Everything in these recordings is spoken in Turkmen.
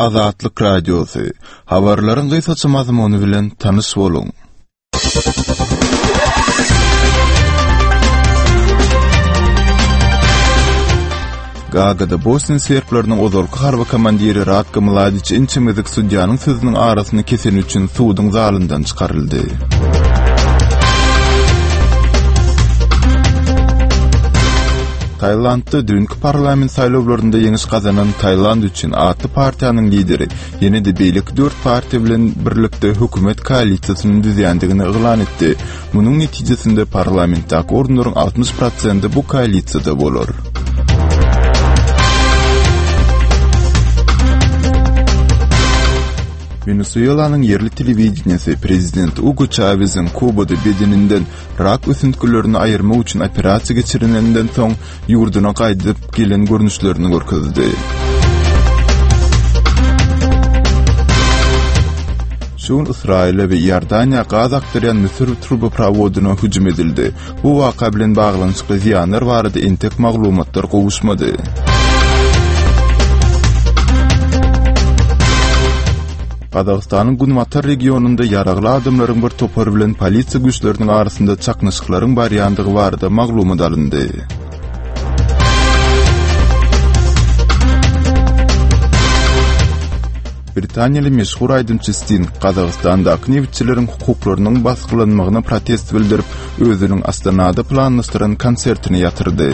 Azatlyk Radiosy, Habarlaryň gysgaça mazmuny bilen tanyş boluň! Gagada bosniýa serbleriniň ozalky harby komandiri Ratko Mladiç ençeme gezek sudýanyň sözüniň arasyny keseni üçin suduň zalyndan çykaryldy. Tailandda düýnki parlament saýlawlarynda ýeňiş gazanan Tailand üçin atly partiýanyň lideri ýene-de beýleki dört partiýa bilen birlikde hökümet koalisiýasyny düzýändigini yglan etdi. Munuň netijesinde parlamentdäki orunlaryň 60 prosenti bu koalisiýada bolar. Wenesuelanyň ýerli telewideniýesi prezident Ugo Çaweziň Kubada bedeninden rak ösüntgilerini aýyrmak üçin operasiýa geçirilenden soň ýurduna gaýdyp gelen görnüşlerini görkezdi. Şu gün Ysraýyla we Iordaniýa gaz akdyrýan Müsür truboprowodyna hüjüm edildi. Bu waka bilen baglanyşykly zyýanlar barada entek maglumatlar gowuşmady. Gazagystanyň günbatar regionynda ýaragly adamlaryň bir topary bilen polisiýa güýçleriniň arasynda çaknyşyklaryň barýandygy barada maglumat alyndy. Britaniýaly meşhur aýdymçy Sting Gazagystandaky nebitçileriň hukuklarynyň basgylanmagyna protest bildirip, özüniň Astanada planlaşdyran konsertini ýatyrdy.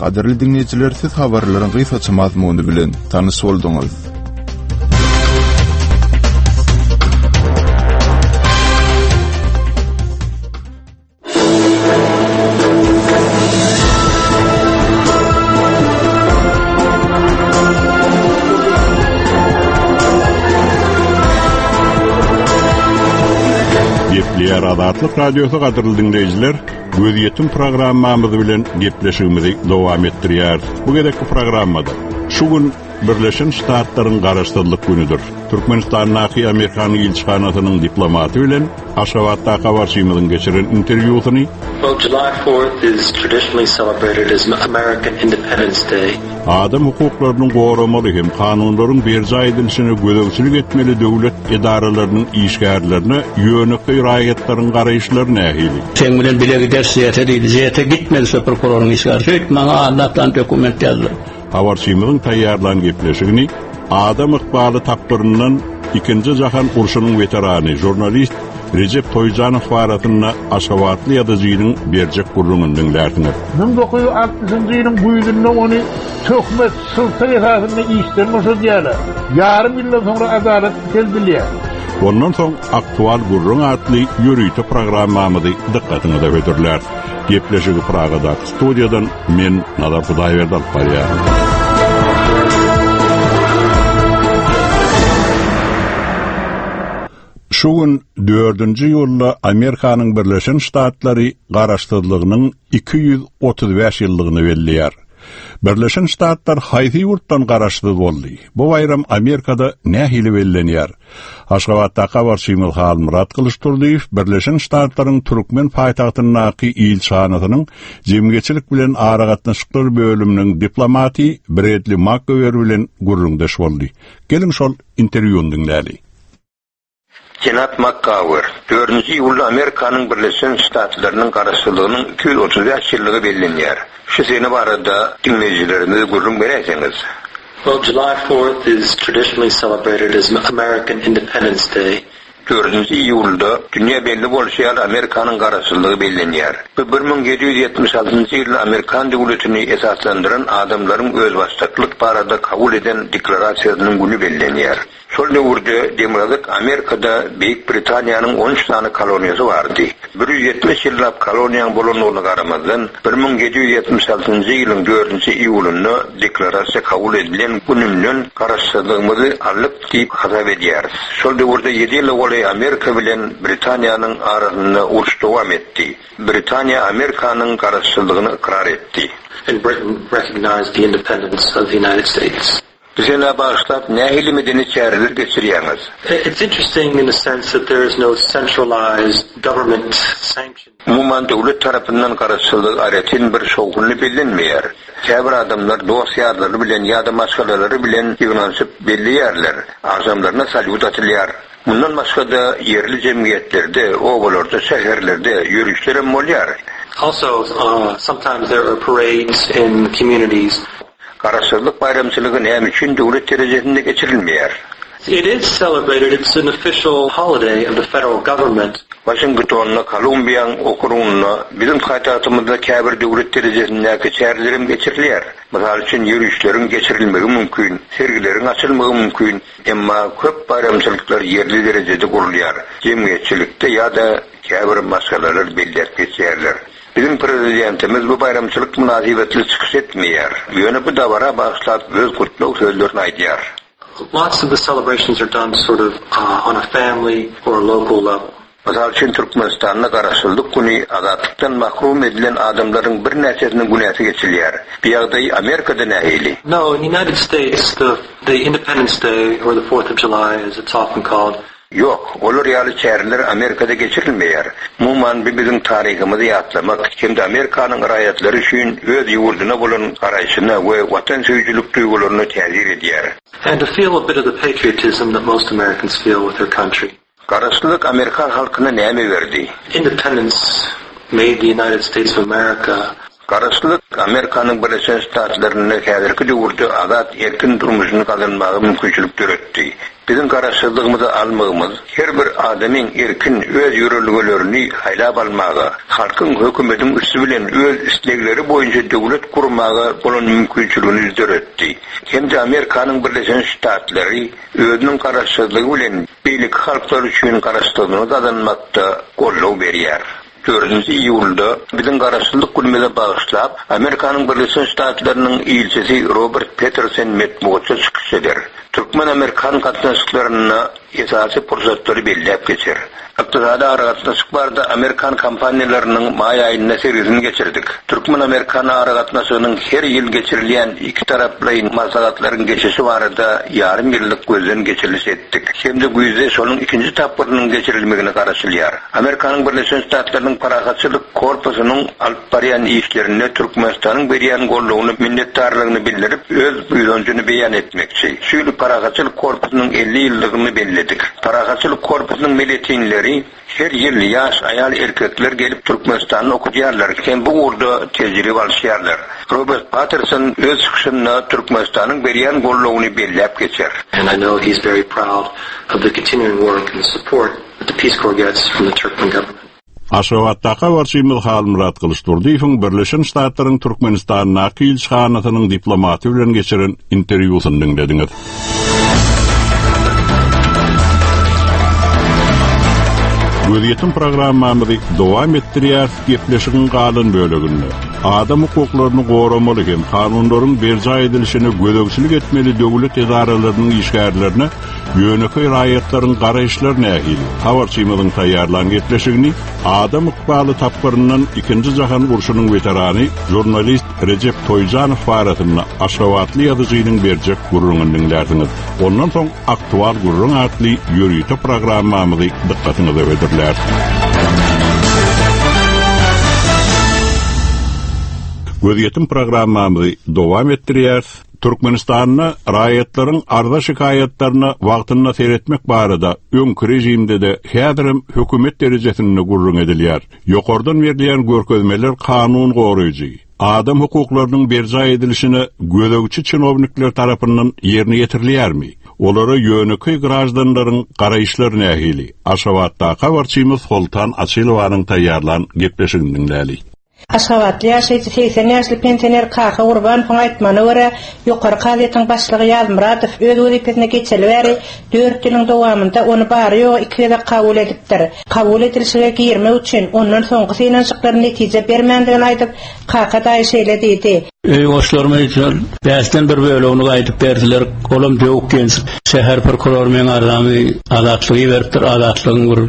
Gadyrly diňleýjiler, siz habarlaryň gysgaça mazmuny bilen tanyş bolduňyz. Gepleýär Azatlyk Radiosy gadyrly diňleýjiler, gözýetim programmamyz bilen gepleşigimizi dowam etdirýäris. Bu gezekki programmada şu gün Birleşen Ştatlaryň Garaşsyzlyk günüdir. Türkmenistandaky Amerikan ilçihanasynyň diplomaty bilen Aşgabatdaky habarçymyzyň geçiren interwýusyny Well, July 4th is traditionally celebrated as American Independence Day. Adam hukuklaryny goramaly hem kanunlaryň berjaý edilişine gözegçilik etmeli döwlet edaralarynyň işgärlerine ýönekeý raýatlaryň garaýyşlary nähili? Seň bilen bile gideris ZT diýdi. ZT gitmedi şo prokuroryň işgäri. Şeýdip maňa Annatdan dokument ýazdy. Habarçymyzyň taýýarlan gepleşigini Adam ykbaly tapgyryndan Ikinji jahan urşunyň weterany, žurnalist Rejep Toýjanow barasynda aşgabatly ýazyjynyň berjek gürrüňini diňlärsiňiz. 1960-njy ýylyň güýzünde ony töhmet, şyltak esasynda işden boşadýarlar. Ýarym ýyldan soňra adalat dikeldilýär. Ondan soň Aktual gürrüň atly ýörite programmamyzy dykgatyňyza hödürläris. Gepleşigi Pragadaky studiýadan Men Nazar Hudaýberdi alyp barýaryn. Şu gün dördünji iýulda Amerikanyň Birleşen Ştatlary garaşsyzlygynyň 235 ýyllygyny belleýär. Birleşen Ştatlar haýsy ýurtdan garaşsyz boldy? Bu baýram Amerikada nähili bellenýär? Aşgabatdaky habarçymyz Halmyrat Gylyçdurdyýew Birleşen Ştatlaryň türkmen paýtagtyndaky ilçihanasynyň jemgyýetçilik bilen aragatnaşyklar bölüminiň diplomaty Bredli Makgower bilen gürrüňdeş boldy. Geliň şol interwýuny diňläli. Jenap Makgower, dördünji iýulda Amerikanyň Birleşen Ştatlarynyň Garaşsyzlygynyň 235 ýyllygy bellenýär. Şu sene barada diňleýjilerimize gürrüň beräýseňiz? Well, July fourth is traditionally celebrated as American Independence Day. Dördünji iýulda, dünýä belli bolşy ýaly, Amerikanyň Garaşsyzlygy bellenýär. Bu 1776 ýylda Amerikan döwletini esaslandyran adamlaryň özbaşdaklyk barada kabul eden Deklarasiýasynyň güni bellenýär. Şol döwürde Demirgazyk Amerikada Beýik Britaniýanyň 13 sany koloniýasy bardy. 170 ýyllap koloniýaň bolandygyna garamazdan, 1776 ýylyň dördünji iýulynda deklarasiýa kabul edilen gününden garaşsyzlygymyzy aldyk diýip hasap edýäris. Şol döwürde ýedi ýyla golaý Amerika bilen Britaniýanyň arasynda uruş dowam etdi. Britaniýa Amerikanyň garaşsyzlygyny ykrar etdi. And Britain recognized the independence of the United States. Bu senä bagyşlap nähili medeni çäreler geçirýäňiz? It's interesting in the sense that there is no centralized government sanction. Umuman, döwlet tarapyndan garaşsyzlyk aýratyn bir şowhunly bellenmeýär. Käbir adamlar dost-ýarlary bilen ýa-da maşgalalary bilen ýygnanyşyp belleýärler. Agşamlaryna salýut atylýar. Mundan başga-da, ýerli jemgyýetlerde, obalarda, şäherlerde ýörişlerem bolýar. Also, sometimes there are parades in communities. Garaşsyzlyk baýramçylygy näme üçin döwlet derejesinde geçirilmeýär? It is celebrated, it's an official holiday of the federal government. Waşingtonda, Kolumbiýaň okrugynda, biziň paýtagtymyzda käbir döwlet derejesindäki çärelerem geçirilýär. Mysal üçin, ýörişleriň geçirilmegi mümkin, sergileriň açylmagy mümkin. Emma köp baýramçylyklar ýerli derejede gurulýar, jemgyýetçilikde ýa-da käbir maşgalalar belläp geçýärler. Biziň prezidentimiz bu baýramçylyk mynasybetli çykyş etmeýär, ýöne bu dabara bagyşlap öz gutlag sözlerini aýdýar. Lots of the celebrations are done sort of on a family or a local level. Mysal üçin, Türkmenistanda Garaşsyzlyk güni azatlykdan mahrum edilen adamlaryň birnäçesiniň günäsi geçilýär. Bu ýagdaý Amerikada nähili? No, in the United States the the Independence Day or the Fourth of July as it's often called, Ýok, olar ýaly çäreler Amerikada geçirilmeýär. Umuman, bu biziň taryhymyzy ýatlamak hem-de Amerikanyň raýatlary üçin öz ýurduna bolan garaýşyna we watansöýüjilik duýgularyna täsir edýär. And to feel a bit of the patriotism that most Americans feel with their country. Garaşsyzlyk amerikan halkyna näme berdi? Independence made the United States of America. Garaşsyzlyk Amerikanyň Birleşen Ştatlarynda häzirki döwürde azat, erkin durmuşyny gazanmaga mümkinçilik döretdi. Biziň garaşsyzlygymyzy almagymyz her bir adamyň erkin öz ýörelgelerini saýlap almaga, halkyň hökümediň üsti bilen öz islegleri boýunça döwlet gurmaga bolan mümkinçiligini döretdi. Hem-de Amerikanyň Birleşen Ştatlary özüniň garaşsyzlygy bilen beýleki halklar üçin garaşsyzlygyny gazanmakda goldaw berýär. Dördünji iýulda biziň Garaşsyzlyk günümize bagyşlap, Amerikanyň Birleşen Ştatlarynyň ilçisi Robert Petersen metbugatda çykyş eder. Türkmen-amerikan gatnaşyklarynda esasy pursatlary belläp geçer. Ykdysady aragatnaşyk barada amerikan kompaniýalarynyň maý aýynda sergisini geçirdik. Türkmen-amerikan aragatnaşygynyň her ýyl geçirilýän ikitaraplaýyn maslahatlaryň geçişi barada ýarym ýyllyk gözden geçiriliş etdik hem-de güýzde şonuň ikinji tapgyrynyň geçirilmegine garaşylýar. Amerikanyň Birleşen Ştatlarynyň Parahatçylyk korpusynyň alyp barýan işlerinde Türkmenistanyň berýän goldawyna minnetdarlygyny bildirip, öz buýsanjyny beýan etmekçi. Şu ýyl Parahatçylyk korpusynyň 50 ýyllygyny belledik. Parahatçylyk korpusynyň meletinleri her ýyl ýaş aýal-erkekler gelip Türkmenistanda okudýarlar hem bu ugurda tejribe alyşýarlar. Robert Patterson öz çykyşynda Türkmenistanyň berýän goldawyny belläp geçer. And I know he's very proud of the continuing work and support that the Peace Corps gets from the Turkmen government. Aşgabatdaky habarçymyz Halmyrat Gylyçdurdyýewiň Birleşen Ştatlaryň Türkmenistandaky ilçihanasynyň diplomaty bilen geçiren interwýusyny diňlediňiz. Gözýetim programmamyzy dowam etdirýäris, gepleşigiň galan böleginde adam hukuklaryny goramaly hem kanunlaryň berjaý edilişine gözegçilik etmeli döwlet edaralarynyň işgärlerine Ýönekeý raýatlaryň garaýyşlary nähili? Habarçymyzyň taýýarlan gepleşigini Adam ykbaly tapgyryndan Ikinji jahan urşunyň weterany, žurnalist Rejep Toýjanow barasynda aşgabatly ýazyjynyň berjek gürrüňini diňlärsiňiz. Ondan soň Aktual gürrüň atly ýörite programmamyzy dykgatyňyza hödürläris. Gözýetim programmamyzy dowam etdirýäris. Türkmenistanda raýatlaryň arza-şikaýatlaryna wagtynda seretmek barada öňki režimde-de, häzirem hökümet derejesinde gürrüň edilýär. Ýokardan berilýän görkezmeler kanun goraýjy, adam hukuklarynyň berjaý edilişine gözegçi çinownikler tarapyndan ýerine ýetirilýärmi? Olara ýönekeý graždanlaryň garaýyşlary nähili? Aşgabatdaky habarçymyz Soltan Açylowanyň taýýarlan gepleşigini diňläli. Aşgabatly ýaşaýjy 80 ýaşly pensioner Kaka Gurbanowyň aýtmagyna görä, Ýokary kazyýetiň başlygy Ýazmyradow öz wezipesine geçeli bäri dört ýylyň dowamynda ony bary-ýogy iki gezek kabul edipdir. Kabul edilişige girmek üçin ondan soňky synanyşyklaryň netije bermändigini aýdyp, Kaka daýy şeýle diýdi. Öý goşlarymy şol bäşden bir bölegini gaýdyp berdiler. Olam döwük ýenjip. Şäher prokurory meň arzamy Azatlyga iberipdir. Azatlygyň bir.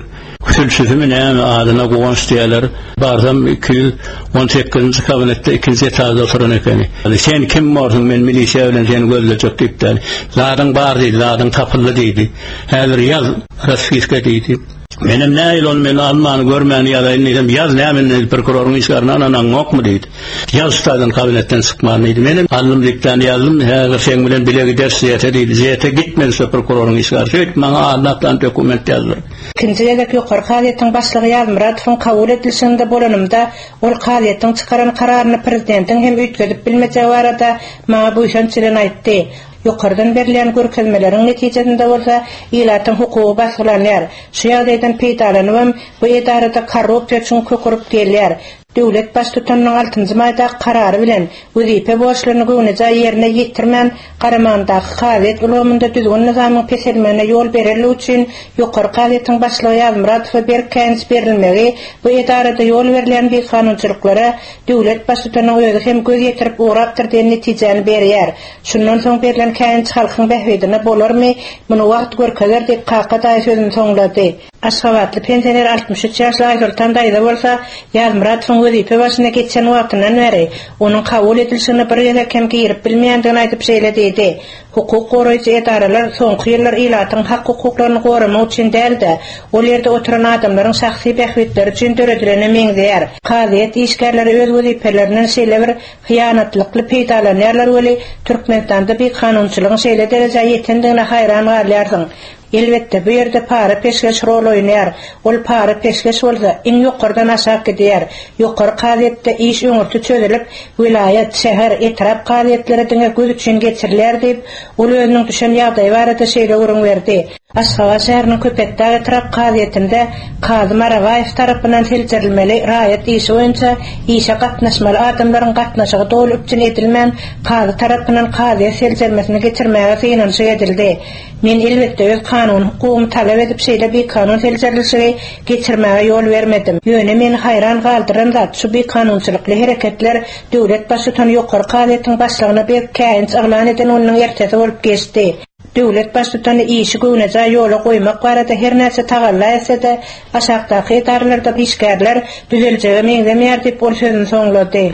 Sülçüsimi näme, adyna Guwanç diýýärler. Barsam 218-nji kabinetde ikinji etažda oturan ekeni. Sen kim borsuň, men milisiýa bilen seni gözlejek diýipdi. Zadyň bar diýdi, zadyň tapyldy diýdi. Häzir ýaz raspiska diýdi. Menem nähili ony men almany görmäni ýazaýyn diýsem, ýaz näme indi prokuroryň işgärine ynanaňokmy diýdi. Ýaz ştadan kabinetden çykman diýdi. Menem aldym diktany ýazdym, häzir seň bilen bile gideris ZT diýdi. ZT gitmedi şo prokuroryň işgäri. Şeýdip maňa aldatlan dokument ýazdyrdy. Ikinji gezek Ýokary kazyýetiň başlygy Ýazmyradowyň kabul edilişiginde bolanymda, ol kazyýetiň çykaran kararyny prezidentiň hem üýtgedip bilmejegi barada maňa buýsanç bilen aýtdy. Ýokardan berilýän görkezmeleriň netijesinde bolsa ilatyň hukugy basgylanýar. Şu ýagdaýdan peýdalanybam bu edarada korrupsiýa çuň kök urup gelýär. Döwlet Baştutanynyň altynjy maýdaky karary bilen, wezipe borçlaryny göwnejaý ýerine ýetirmän, garamagyndaky kazyýet ulgamynda düzgün-nyzamyň peselmegine ýol berenligi üçin Ýokary kazyýetiň başlygy Ýazmyradowa berk käýinç berilmegi bu edarada ýol berilýän bikanunçylyklara döwlet Baştutanynyň özi hem göz ýetirip ugrapdyr diýen netijäni berýär. Şundan soň berlen käýinç halkyň bähbidine bolarmy, muny wagt görkezer diýip, Kaka daýy sözüni soňlady. Aşgabatly pensioner 63 ýaşly Aýsoltan daýza bolsa, Ýazmyradowyň wezipe başyna geçen wagtyndan bäri, onuň kabul edilişigine bir gezek hem girip bilmeýändigini aýdyp şeýle diýdi, Hukuk goraýjy edaralar soňky ýyllar ilatyň hak-hukuklaryny goramak üçin däl-de, ol ýerde oturan adamlaryň şahsy bähbitleri üçin döredilene meňzeýär. Kazyýet işgärleri öz wezipelerinden şeýle bir hyýanatlykly peýdalanýarlar weli, Türkmenistanda bikanunçylygyň şeýle derejä ýetendigine haýran galýarsyň. Elbetde, bu ýerde para-peşgeş rol oýnaýar. Ol para-peşgeş bolsa, iň ýokardan aşak gidýär. Ýokary kazyýetde iş öňürti çözülip, welaýat, şäher, etrap kazyýetlere diňe göz üçin geçirilýär diýip, ol özüniň düşen ýagdaýy barada şeýle gürrüň berdi. Aşgabat şäheriniň Köpetdag etrap kazyýetinde kazy Marabaýew tarapyndan seljerilmeli raýat işi boýunça işe gatnaşmaly adamlaryň gatnaşygy doly üpjün edilmän, kazy tarapyndan kazyýet seljermesini geçirmäge synanyşyk edildi. Men elbetde öz kanuny hukugymy talap edip şeýle bikanun seljerilişigi geçirmäge ýol bermedim. Ýöne meni haýran galdyran zat şu bikanunçylykly hereketler döwlet baştutany ýokary kazyýetiň başlygyna berk käýinç yglan eden gününiň ertesi bolup geçdi. Döwlet baştutany işi göwnejaý ýola goýmak barada her näçe tagalla etse-de, aşakdaky edaralarda işgärler düzeljege meňzemeýär diýip ol sözüni soňlady.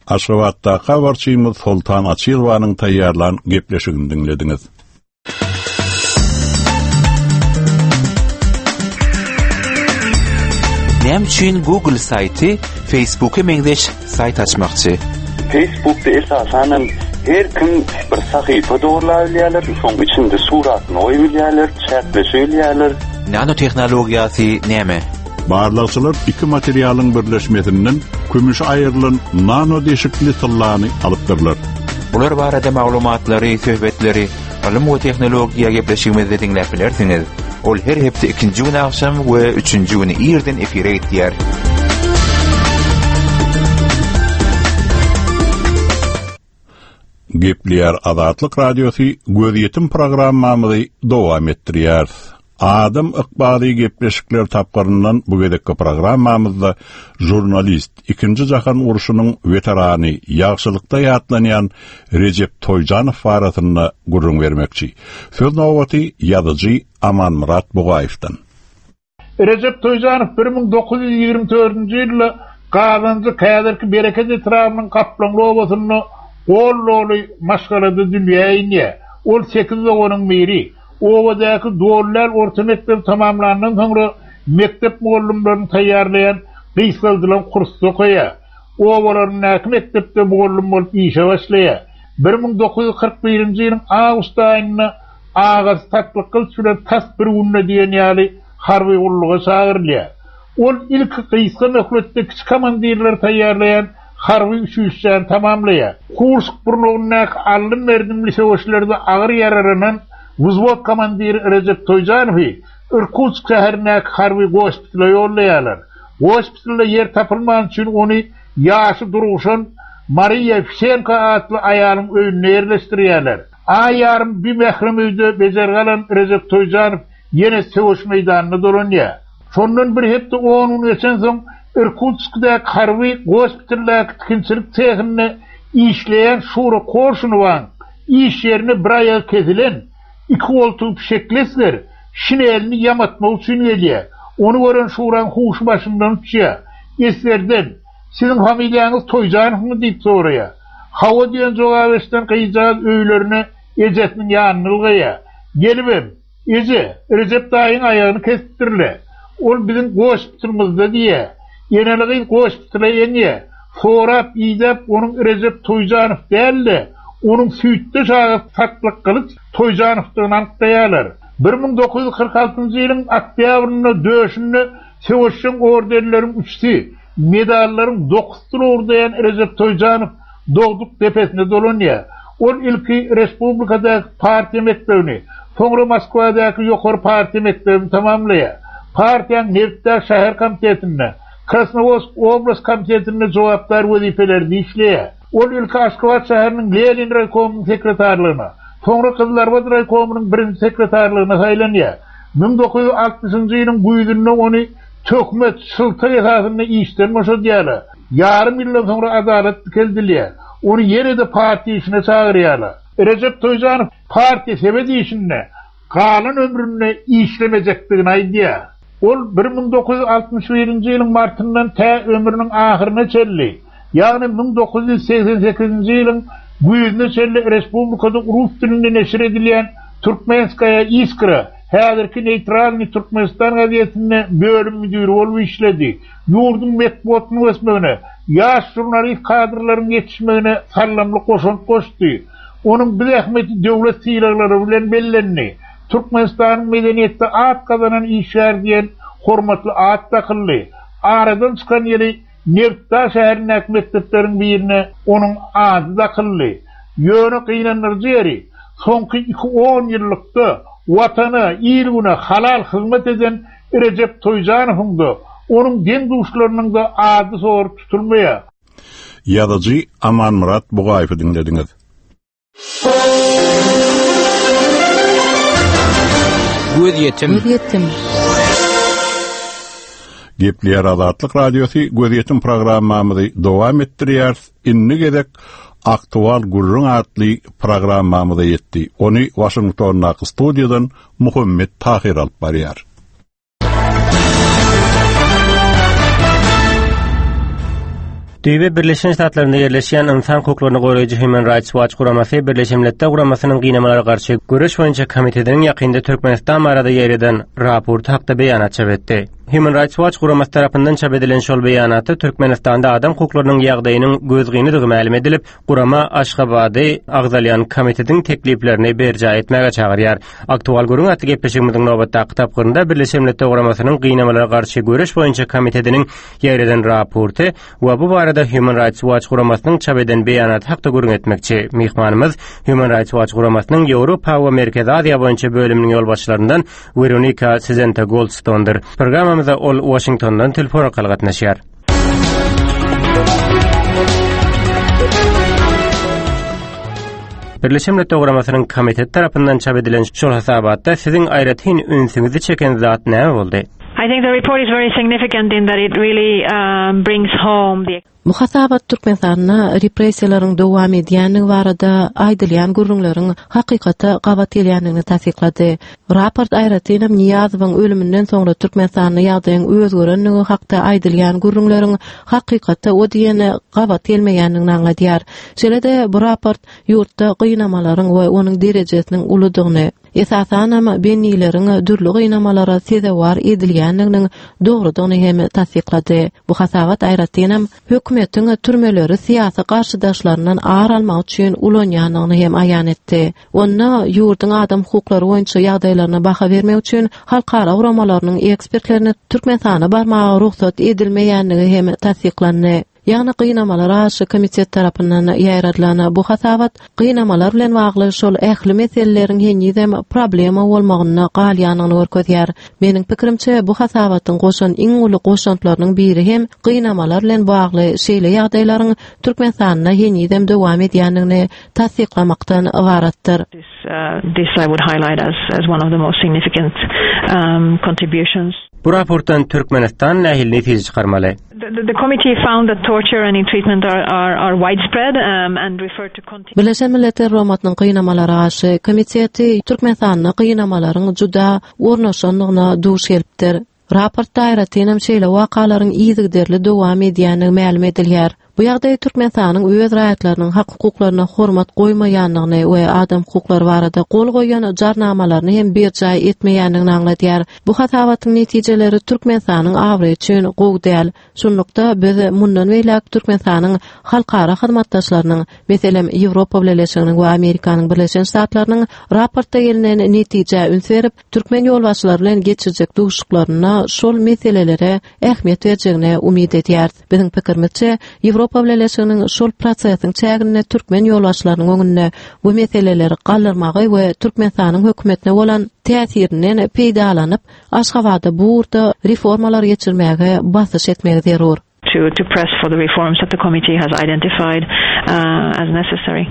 Aşgabatdaky habarçymyz Soltan Açyrowanyň taýýarlan gepleşigini diňlediňiz. Näme üçin Google saýty Facebooka meňzeş saýt açmakçy? Facebookda esasanam her kim bir sahypa dogurlap bilýärler, şoň içinde suratyny goýup bilýärler, çäkleşip bilýärler. Nanotehnologiýasy näme? Barlagçylar iki materialyň birleşmesinden kümüşi aýrylan nano deşikli tyllany alypdyrlar. Bular barada maglumatlary, söhbetleri Ylym we tehnologiýa gepleşigimizde diňläp bilersiňiz. Ol her hepde ikinji gün agşam we üçünji güni irden efire gitýär. Gepleýär Azatlyk Radiosy gözýetim programmamyzy dowam etdirýäris. Adam ykbaly gepleşikler tapgyryndan bu gezekki programmamyzda žurnalist, Ikinji jahan urşunyň weterany, ýagşylykda ýatlanýan Rejep Toýjanow barasynda gürrüň bermekçi. Söz nobaty ýazyjy Amanmyrat Bugaýewden. Rejep Toýjanow 1924-nji ýylda Gazanjyk, häzirki Bereket etrabynyň Gaplaňly obasynda gol doly maşgalada dünýä inýär. Ol sekiz doganyň biri. Obadaky doly däl orta mekdebi tamamlandan soňra mekdep mugallymlaryny taýýarlaýan gysgaldylan kursda okaýar. Obalaryndaky mekdepde mugallym bolup işe başlaýar. 1941-nji ýylyň awgust aýynda Agasy Tatlykgylyç bilen tas bir günde diýen ýaly harby gulluga çagyrylýar. Ol ilki gysga möhletde kiçi komandirleri taýýarlaýan harby uçilişşäni tamamlaýar. Kursk burnugyndaky aldym-berdimli söweşlerde agyr ýaralanan wzwod komandiri Rejep Toýjanowy Irkutsk şäherindäki harby gospitala ýollaýarlar. Gospitalda ýer tapylmany üçin ony ýaşy durugşan Mariýa Fişenko atly aýalyň öýünde ýerleşdirýärler. Aý ýarym bimährem öýde bejergi alan Rejep Toýjanow ýene söweş meýdanyna dolanýar. Şondan bir hepde on gün geçensoň, Irkutskdäki harby gospitaldäki tikinçilik sehinde işleýän Şura Korşunowaň iş ýerine bir aýagy kesilen, iki goltugy pişekli esger şinelini ýamatmak üçin gelýär. Ony gören Şuraň huşy başyndan uçýar. Esgerden, Siziň familiýaňyz Toýjanowmy diýip soraýar. Hawa diýen jogaby eşiden gyzjagaz öýlerine ejesiniň ýanyna ylgaýar. Gelibem, Eje, Rejep daýyň aýagyny kesipdirle. Ol biziň gospitalymyzda diýýär. Eneli-gyz gospitala eňýär. Sorap-idäp onuň Rejep Toýjanow däl-de, onuň süýtdeş agasy Satlyk Gylyç Toýjanowdygyny anyklaýarlar. 1946-njy ýylyň oktýabrynda döşünde söweşjeň ordenleriň üçüsi, medallaryň dokuzysyny ogurlaýan Rejep Toýjanow dogduk depesine dolanýar. Ol ilki respublikadaky partiýa mekdebini, soňra Moskwadaky ýokary partiýa mekdebini tamamlaýar. Partiýanyň Nebitdag şäher komitetinde, Krasnowodsk oblast komitetinde jogapkär wezipelerde işleýär. Ol ilki Aşgabat şäheriniň Lenin raýkomynyň sekretarlygyna, soňra Gyzylarbat raýkomynyň birinji sekretarlygyna saýlanýar. 1960-njy ýylyň güýzünde ony töhmet, şyltak esasynda işden boşadýarlar. Ýarym ýyldan soňra adalat dikeldilýär. Ony ýene-de partiýa işine çagyrýarlar. Rejep Toýjanow partiýa sebet işinde galan ömründe işlemejekdigini aýdýar. Ol 1961-nji ýylyň martyndan tä ömrüniň ahyryna çenli, ýagny 1988-nji ýylyň güýzüne çenli respublikada rus dilinde neşir edilýän Turkmenskaýa iskra, häzirki Neýtralnyý Türkmenistan gazetinde bölüm müdiri bolup işledi. Ýurduň metbugatynyň ösmegine, ýaş žurnalist kadrlaryň ýetişmegine sallamly goşant goşdy. Onuň bu zähmeti döwlet sylaglary bilen bellendi. Türkmenistanyň medeniýetde at gazanan işgäri diýen hormatly at dakyldy. Aradan çykan ýyly Nebitdag şäherindäki mekdepleriň birine onuň ady dakyldy. Ýöne gynandyryjy ýeri, soňky iki onýyllykda Watana, il-güne halal hyzmat eden Rejep Toýjanowyň-da, onuň deň-duşlarynyň-da ady-sory tutulmaýar. Ýazyjy Amanmyrat Bugaýewi diňlediňiz. Gözýetim. Gözýetim. Gepleýär Azatlyk Radiosy Gözýetim programmamyzy dowam etdirýäris. Indi gezek Aktual gürrüň atly programmamyza ýetdi. Ony Waşingtondaky studiýadan Muhammet Tahyr alyp barýar. Düýbi Birleşen Ştatlarynda ýerleşýän ynsan hukuklaryny goraýjy Human Rights Watch guramasy Birleşen Milletler Guramasynyň gynamalara garşy göreş boýunça komitetiniň ýakynda Türkmenistan barada ýaýradan raporty hakda beýanat çap etdi. Human Rights Watch guramasy tarapyndan çap edilen şol beýanatda Türkmenistanda adam hukuklarynyň ýagdaýynyň gözgynydygy mälim edilip, Gurama Aşgabady agzalýan komitetiň tekliplerini berjaý etmäge çagyrýar. Aktual gürrüň atly gepleşigimiziň nobatdaky tapgyrynda Birleşen Milletler Guramasynyň Gynamalara garşy göreş boýunça komitetiniň ýaýradan raporty we bu barada Human Rights Watch guramasynyň çap eden beýanaty hakda gürrüň etmekçi. Myhmanymyz Human Rights Watch guramasynyň Ýewropa we Merkezi Aziýa boýunça bölüminiň ýolbaşçylaryndan Weronika Sizenta Goldstondyr. Programmamyza ol Waşingtondan telefon arkaly gatnaşýar. Birleşen Milletler Guramasynyň komiteti tarapyndan çap edilen şol hasabatda siziň aýratyn ünsüňizi çeken zat näme boldy? I think the report is very significant in that it really um, brings home the Bu hasabat Türkmenistanda repressiýalaryň dowam edýändigi barada aýdylýan gürrüňleriň hakykata gabat gelýändigini tassyklady. Raport aýratynam Nyýazowyň ölüminden soňra Türkmenistanda ýagdaýyň özgerendigi hakda aýdylýan gürrüňleriň hakykata o diýen gabat gelmeýändigini aňladýar. Şeýle-de bu raport ýurtda gynamalaryň we onuň derejesiniň uludygyny, esasanam bendileriň dürli gynamalara sezewar edilýändiginiň dogrudygyny hem tassyklady. Bu hasabat aýratynam hökümetiň türmeleri syýasy garşydaşlaryndan ar almak üçin ulanýandygyny hem aýan etdi. Onda ýurduň adam hukuklary boýunça ýagdaýlaryna baha bermek üçin halkara guramalarynyň ekspertlerine Türkmenistana barmaga rugsat edilmeýändigi hem tassyklandy. Ýagny Gynamalara garşy komitet tarapyndan ýaýradylan bu hasabat gynamalar bilen bagly şol ähli meseleleriň henizem problema bolmagynda galýandygyny görkezýär. Meniň pikirimçe, bu hasabatyň goşan iň uly goşantlarynyň biri hem gynamalar bilen bagly şeýle ýagdaýlaryň Türkmenistanda henizem dowam edýändigini tassyklamakdan ybaratdyr. This I would highlight as as one of the most significant contributions. Bu raportdan Türkmenistan nähili netije çykarmaly? The committee found that torture and ill-treatment are are are widespread and referred to Birleşen Milletler Guramasynyň Gynamalara garşy komiteti Türkmenistanda gynamalaryň juda ornaşandygyna duş gelipdir. Raportda aýratynam şeýle wakalaryň yzygiderli dowam edýändigi mälim edilýär. Bu ýagdaý Türkmenistanyň öz raýatlarynyň hak-hukuklaryna hormat goýmaýandygyny we adam hukuklary barada gol goýan jarnamalaryny hem berjaý etmeýändigini aňladýar. Bu hasabatyň netijeleri Türkmenistanyň abraýy üçin gowy däl. Şunlukda, biz mundan beýläk Türkmenistanyň halkara hyzmatdaşlarynyň, meselem, Ýewropa Bileleşiginiň we Amerikanyň Birleşen Ştatlarynyň raportda gelnen netijä üns berip, türkmen ýolbaşçylary bilen geçirjek duşuşyklarynda şol meselelere ähmiýet berjegine umyt edýäris. Biziň pikirimizçe, Ýewropa Bileleşiginiň şol prosesiň çäginde türkmen ýolbaşçylarynyň öňünde bu meseleleri galdyrmagy we Türkmenistanyň hökümetine bolan täsirinden peýdalanyp, Aşgabada bu ugurda reformalar geçirmäge basyş etmegi zerur. To to press for the reforms that the committee has identified as necessary.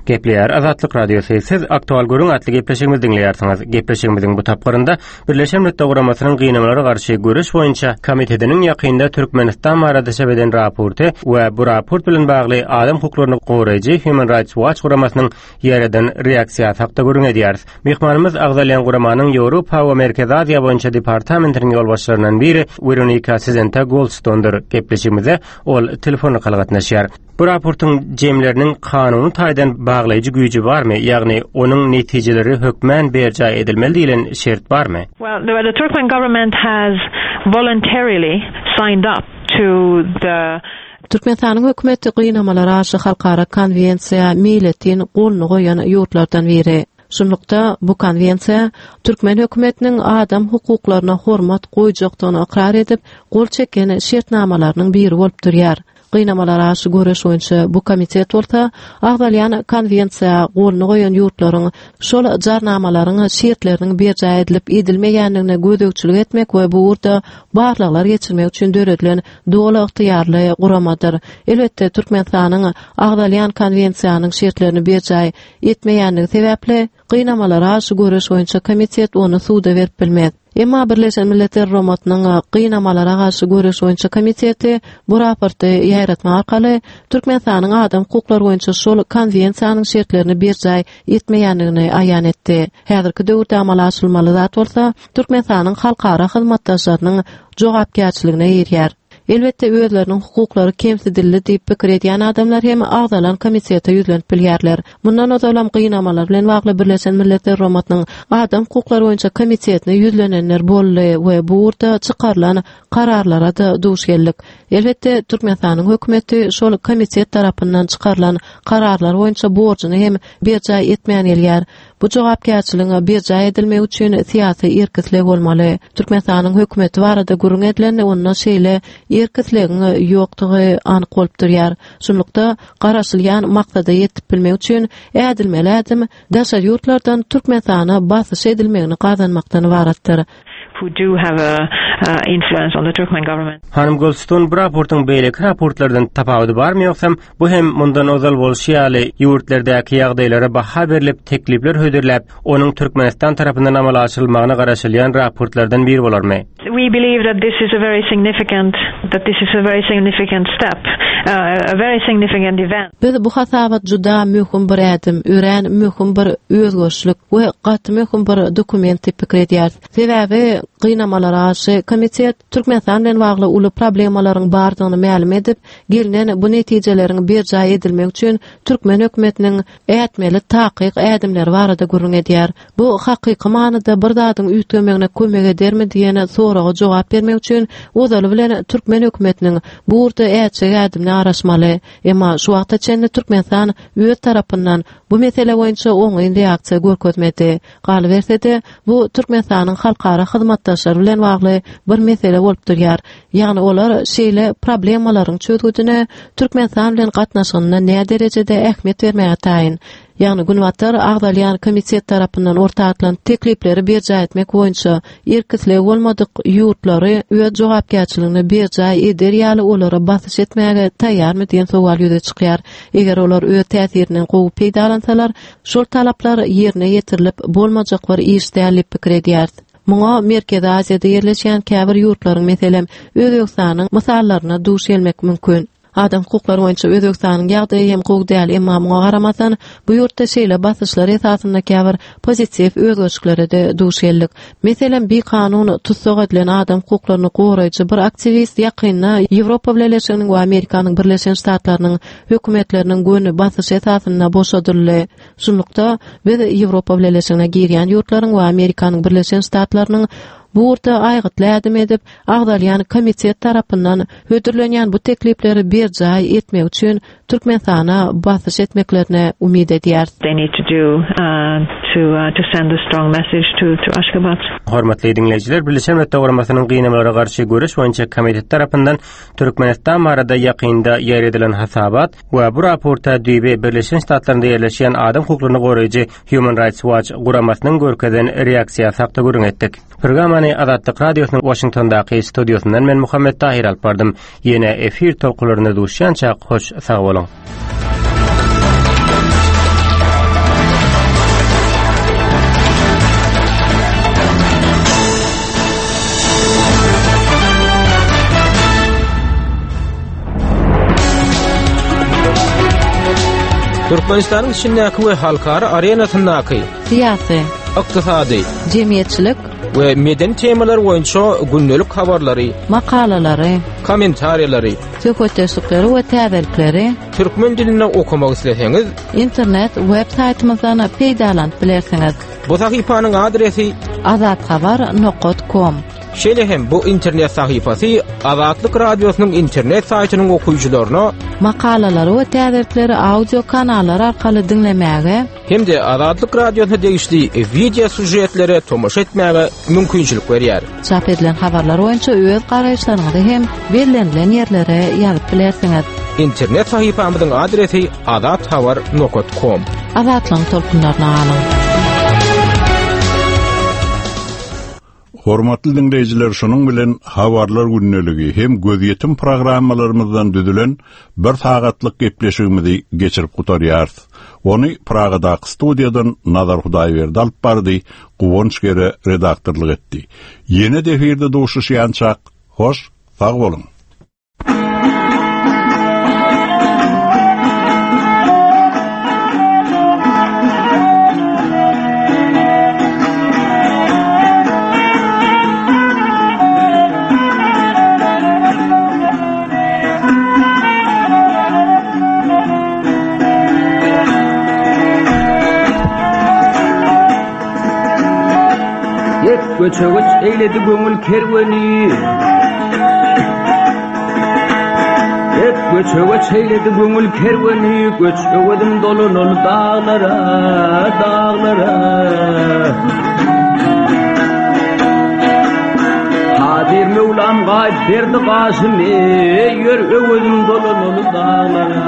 Gepleýär Azatlyk Radiosy. Siz Aktual gürrüň atly gepleşigimizi diňleýärsiňiz. Gepleşigimiziň bu tapgyrynda Birleşen Milletler Guramasynyň Gynamalara garşy göreş boýunça komitetiniň ýakynda Türkmenistan barada çap eden raporty we bu raport bilen bagly adam hukuklaryny goraýjy Human Rights Watch guramasynyň ýaradan reaksiýasy hakda gürrüň edýäris. Myhmanymyz agzalýan guramanyň Ýewropa we Merkezi Aziýa boýunça departamentiniň ýolbaşçylaryndan biri Weronika Sizenta Goldstondyr. Gepleşigimize ol telefon arkaly gatnaşýar. Bu raportyň jemleriniň kanuny taýdan baglaýjy güýji barmy, ýagny onuň netijeleri hökmän berjaý edilmeli diýlen şert barmy? Well, the, the Turkmen government has voluntarily signed up to the Türkmenistanyň hökümeti gynamalara garşy halkara konwensiýa meýletin goluny goýan ýurtlardan biri. Şunlukda, bu konwensiýa türkmen hökümetiniň adam hukuklaryna hormat goýjakdygyny ykrar edip, gol çeken şertnamalarynyň biri bolup durýar. Gynamalara garşy göreş boýunça bu komitet bolsa, agzalýan konwensiýa goluny goýan ýurtlaryň şol jarnamalaryň şertleriniň berjaý edilip edilmeýändigine gözegçilik etmek we bu ugurda barlaglar geçirmek üçin döredilen doly ygtyýarly guramadyr. Elbetde, Türkmenistanyň agzalýan konwensiýanyň şertlerini berjaý etmeýänligi sebäpli, Gynamalara garşy göreş boýunça komitet ony suda berip bilmez. Emma Birleşen Milletler Guramasynyň Gynamalara garşy göreş boýunça komiteti bu raporty ýaýratmak arkaly Türkmenistanyň adam hukuklary boýunça şol konwensiýanyň şertlerini berjaý etmeýändigini aýan etdi. Häzirki döwürde amala aşyrylmaly zat bolsa Türkmenistanyň halkara hyzmatdaşlarynyň jogapkärçiligine girýär. Elbetde, özleriniň hukuklary kemsidildi diýip pikir edýän adamlar hem agzalan komitete ýüzlenip bilýärler. Mundan ozalam gynamalar bilen bagly Birleşen Milletler Guramasynyň Adam hukuklary boýunça komitetine ýüzlenenler boldy we bu ugurda çykarylan kararlara-da duş geldik. Elbetde, Türkmenistanyň hökümeti şol komitet tarapyndan çykarylan kararlar boýunça borjuny hem berjaý etmän gelýär. Bu jogapkärçiligiň berjaý edilmegi üçin syýasy erk-isleg bolmaly. Türkmenistanyň hökümeti barada gürrüň edilende onda şeýle erk-islegiň ýokdugy anyk bolup durýar. Şunlukda, garaşylýan maksada ýetip bilmek üçin ädilmeli ädim daşary ýurtlardan Türkmenistana basyş edilmegini gazanmakdan ybaratdyr. who do have a influence on the Turkmen government. Hanym Goldstone bu raportyň beýleki raportlardan tapawudy barmy ýogsam bu hem mundan ozal bolşy ýaly ýurtlardaky ýagdaýlara baha berlip teklipler hödürläp onuň Türkmenistan tarapyndan amala aşyrylmagyna garaşylýan raportlardan biri bolarmy? We believe that this is a very significant that this is a very significant step, a very significant event. Biz bu hasabat juda möhüm bir ädim, örän möhüm bir özgerişlik we gaty möhüm bir dokument diýip pikir edýäris. Sebäbi gynamalara garşy komitet Türkmenistan bilen bagly uly problemalaryň bardygyny mälim edip, gelnen bu netijeleriň berjaý edilmegi üçin türkmen hökümetiniň ätmeli takyk ädimleri barada gürrüň edýär. Bu hakyky manyda bir zadyň üýtgemegine kömek edermi diýen soraga jogap bermek üçin ozaly bilen türkmen hökümetiniň bu ugurda ätjek ädimine garaşmaly. Emma şu wagta çenli Türkmenistan öz tarapyndan bu mesele boýunça oňyn reaksiýa görkezmedi. Galyberse-de, bu Türkmenistanyň halkara hyzmatdaşlary bilen bagly bir mesele bolup durýar. Ýagny olar şeýle problemalaryň çözgüdine Türkmenistan bilen gatnaşygynda näderejede ähmiýet bermäge taýyn. Ýagny Günbatar agzalýan komitet tarapyndan orta atylan teklipleri berjaý etmek boýunça erk-islegi bolmadyk ýurtlary öz jogapkärçiligini berjaý eder ýaly olara basyş etmäge taýýarmy diýen sowal ýüze çykýar. Eger olar öz täsirinden gowy peýdalansalar, şol talaplar ýerine ýetirilip bolmajak bir iş däl diýip pikir edýäris. Muňa Merkezi Aziýada ýerleşýän käbir ýurtlaryň, meselem, Özbegistanyň mysallaryna duş gelmek mümkin. Adam hukuklary boýunça Özbegistanyň ýagdaýy hem gowy däl, emma muňa garamazdan, bu ýurtda şeýle basyşlar esasynda käbir pozitiw özgerişiklere-de duş geldik. Meselem, bikanun tussag edilen adam hukuklaryny goraýjy bir aktiwist ýakynda Ýewropa Bileleşiginiň we Amerikanyň Birleşen Ştatlarynyň hökümetleriniň göni basyşy esasynda boşadyldy. Şunlukda, biz Ýewropa Bileleşigine girýän ýurtlaryň we Amerikanyň Birleşen Ştatlarynyň bu ugurda aýgytly ädim edip, agzalýan komitet tarapyndan hödürlenýän bu teklipleri berjaý etmegi üçin Türkmenistana basyş etmeklerine umyt edýäris. They need to do to to send a strong message to to Ashgabat. Hormatly diňleýjiler, Birleşen Milletler Guramasynyň Gynamalara garşy göreş boýunça komiteti tarapyndan Türkmenistan barada ýakynda ýaýradylan hasabat we bu raporta düýbi Birleşen Ştatlarynda ýerleşýän adam hukuklaryny goraýjy Human Rights Watch guramasynyň görkezen reaksiýasy hakda gürrüň etdik. Programmany Azatlyk Radiosynyň Waşingtondaky studiýasyndan men Muhammet Tahir alyp bardym. Ýene efir tolkunlarynda duşýançak hoş sag boluň. Türkmenistanyň içindäki we halkara arenasyndaky syýasy, ykdysady, jemgyýetçilik we medeni temalar boýunça gündelik habarlary, makalalary, kommentariýalary, söhbetdeşlikleri we täzelikleri türkmen dilinde okamak isleseňiz, internet web saýtymyzdan peýdalanyp bilersiňiz. Bu sahypanyň adresi azathabar nokat kom. Şeýle hem bu internet sahypasy Azatlyk Radiosynyň internet saýtynyň okyjylaryna makalalary we täzelikleri audio kanallar arkaly diňlemäge hem-de Azatlyk Radiosyna degişli wideo sýužetlere tomaşa etmäge mümkinçilik berýär. Çap edilen habarlar boýunça öz garaýyşlaryňyzy hem bellenilen ýerlere ýazyp bilersiňiz. Internet sahypamyzyň adresi azathabar nokat kom. Azatlygyň tolkunlaryna galyň! Hormatly diňleýjiler şunuň bilen Habarlar gündeligi hem Gözýetim programmalarymyzdan düzülen bir sagatlyk gepleşigimizi geçirip gutarýarys. Ony Pragadaky studiýadan Nazar Hudaýberdi alyp bardy, Guwanç Gere redaktorlyk etdi. Ýene-de efirde duşuşýançak, hoş, sag boluň! Göçe-göç eýledi göňül kerweni. Hep göçe-göç eýledi göňül kerweni, Göç öwezim dolanaly daglara, daglara. Kadyr Möwlam gaýyp berdi gaşymy, Ýör öwezim dolanaly daglara.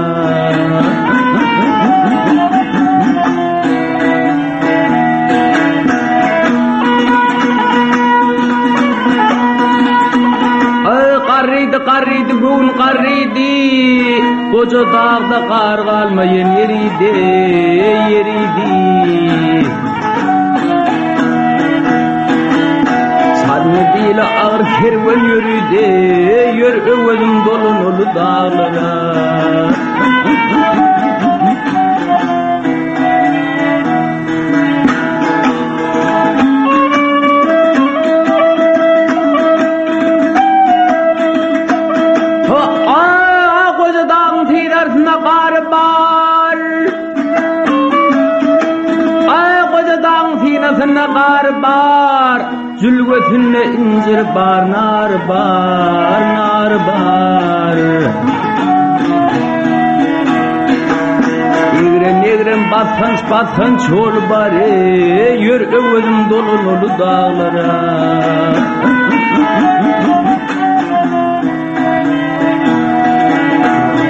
Garrydy, garrydy, göwün garrydy. Goja dagda gar galmaýan ýeridi, ýeridi. Çalmy bile agyr kerwen ýöridi, ýör öwezim dolanaly daglara. Jülgesinde incir bar, nar bar, nar bar. Egrem-egrem basganç-basganç ýol bar, Ýör öwezim dolanaly daglara.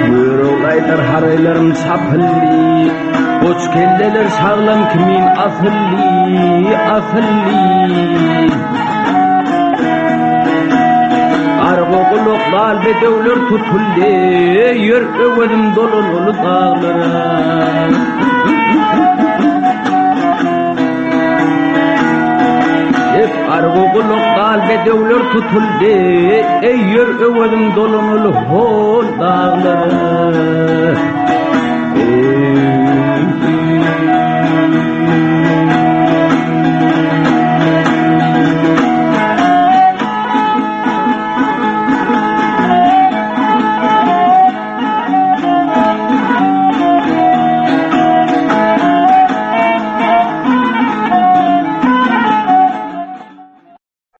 Görogly aýdar haraýlarym çapyldy, Goç kelleler şaglam kimin asyldy, asyldy. Argo gulak lal bedewler tutuldy, Ýör öwezim dolanaly daglara. Hep. Gargy gulak dal bedewler tutuldy, Eý, ýör öwezim dolanaly hol daglara.